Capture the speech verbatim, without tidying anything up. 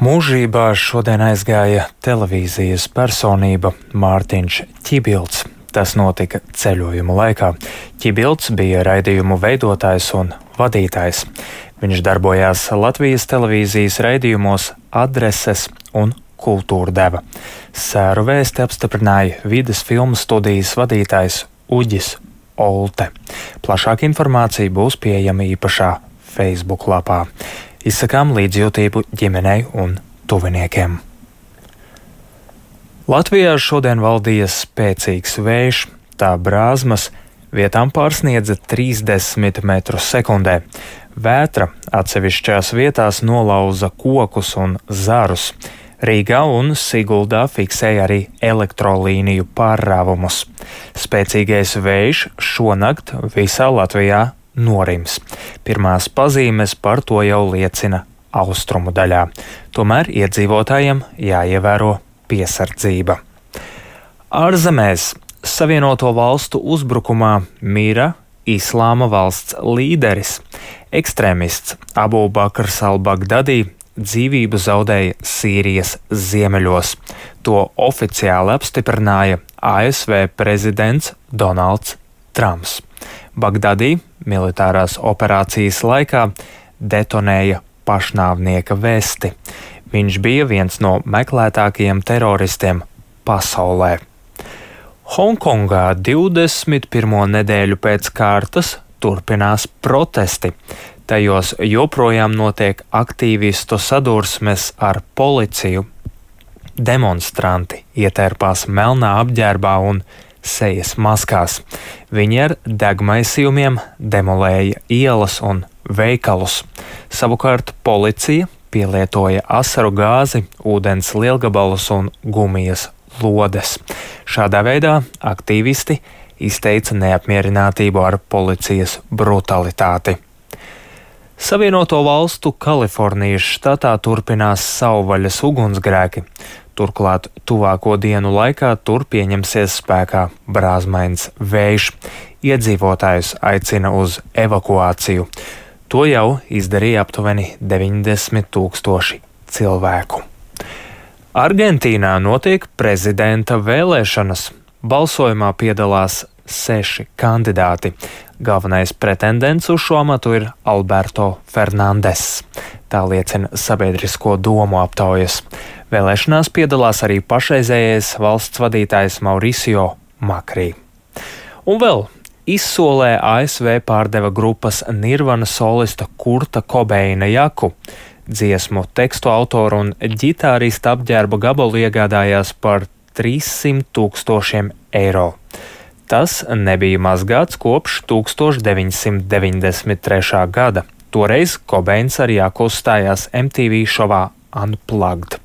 Mūžībā šodien aizgāja televīzijas personība Mārtiņš Ķibilds. Tas notika ceļojuma laikā. Ķibilds bija raidījumu veidotājs un vadītājs. Viņš darbojās Latvijas televīzijas raidījumos Adreses un Kultūra deva. Sēru vēsti apstiprināja vides filmu studijas vadītājs Uģis Olte. Plašāka informācija būs pieejama īpašā Facebook lapā. Izsakām līdzjūtību ģimenei un tuviniekiem. Latvijā šodien valdīja spēcīgs vējš, tā brāzmas vietām pārsniedza trīsdesmit metrus sekundē. Vētra atsevišķās vietās nolauza kokus un zarus. Rīgā un Siguldā fiksēja arī elektrolīniju pārrāvumus. Spēcīgais vējš šonakt visā Latvijā norims. Pirmās pazīmes par to jau liecina austrumu daļā. Tomēr iedzīvotājiem jāievēro piesardzība. Ārzemēs Savienoto valstu uzbrukumā mira Islāma valsts līderis. Ekstrēmists Abu Bakrs al-Bagdadi dzīvību zaudēja Sīrijas ziemeļos. To oficiāli apstiprināja A S V prezidents Donalds Trumps. Bagdadi militārās operācijas laikā detonēja pašnāvnieka vesti. Viņš bija viens no meklētākajiem teroristiem pasaulē. Hongkongā divdesmit pirmo nedēļu pēc kārtas turpinās protesti. Tajos joprojām notiek aktīvistu sadursmes ar policiju. Demonstranti ietērpās melnā apģērbā un sejas maskās. Viņi ar degmaisījumiem demolēja ielas un veikalus. Savukārt policija pielietoja asaru gāzi, ūdens lielgabalus un gumijas lodes. Šādā veidā aktīvisti izteica neapmierinātību ar policijas brutalitāti. Savienoto valstu Kalifornijas štatā turpinās savvaļas ugunsgrēki. Turklāt tuvāko dienu laikā tur pieņemsies spēkā brāzmains vējš. Iedzīvotājus aicina uz evakuāciju. To jau izdarīja aptuveni deviņdesmit tūkstoši cilvēku. Argentīnā notiek prezidenta vēlēšanas. Balsojumā piedalās seši kandidāti. Galvenais pretendents uz šo amatu ir Alberto Fernandes. Tā liecina sabiedrisko domu aptaujas. Vēlēšanās piedalās arī pašreizējais valsts vadītājs Mauricio Macri. Un vēl izsolē A S V pārdeva grupas Nirvana solista Kurta Kobeina jaku. Dziesmu tekstu autoru un ģitārista apģērba gabalu iegādājās par trīssimt tūkstošiem eiro. Tas nebija mazgāts kopš tūkstoš deviņsimt deviņdesmit trešā gada. Toreiz Kobeins ar jaku uzstājās M T V šovā Unplugged.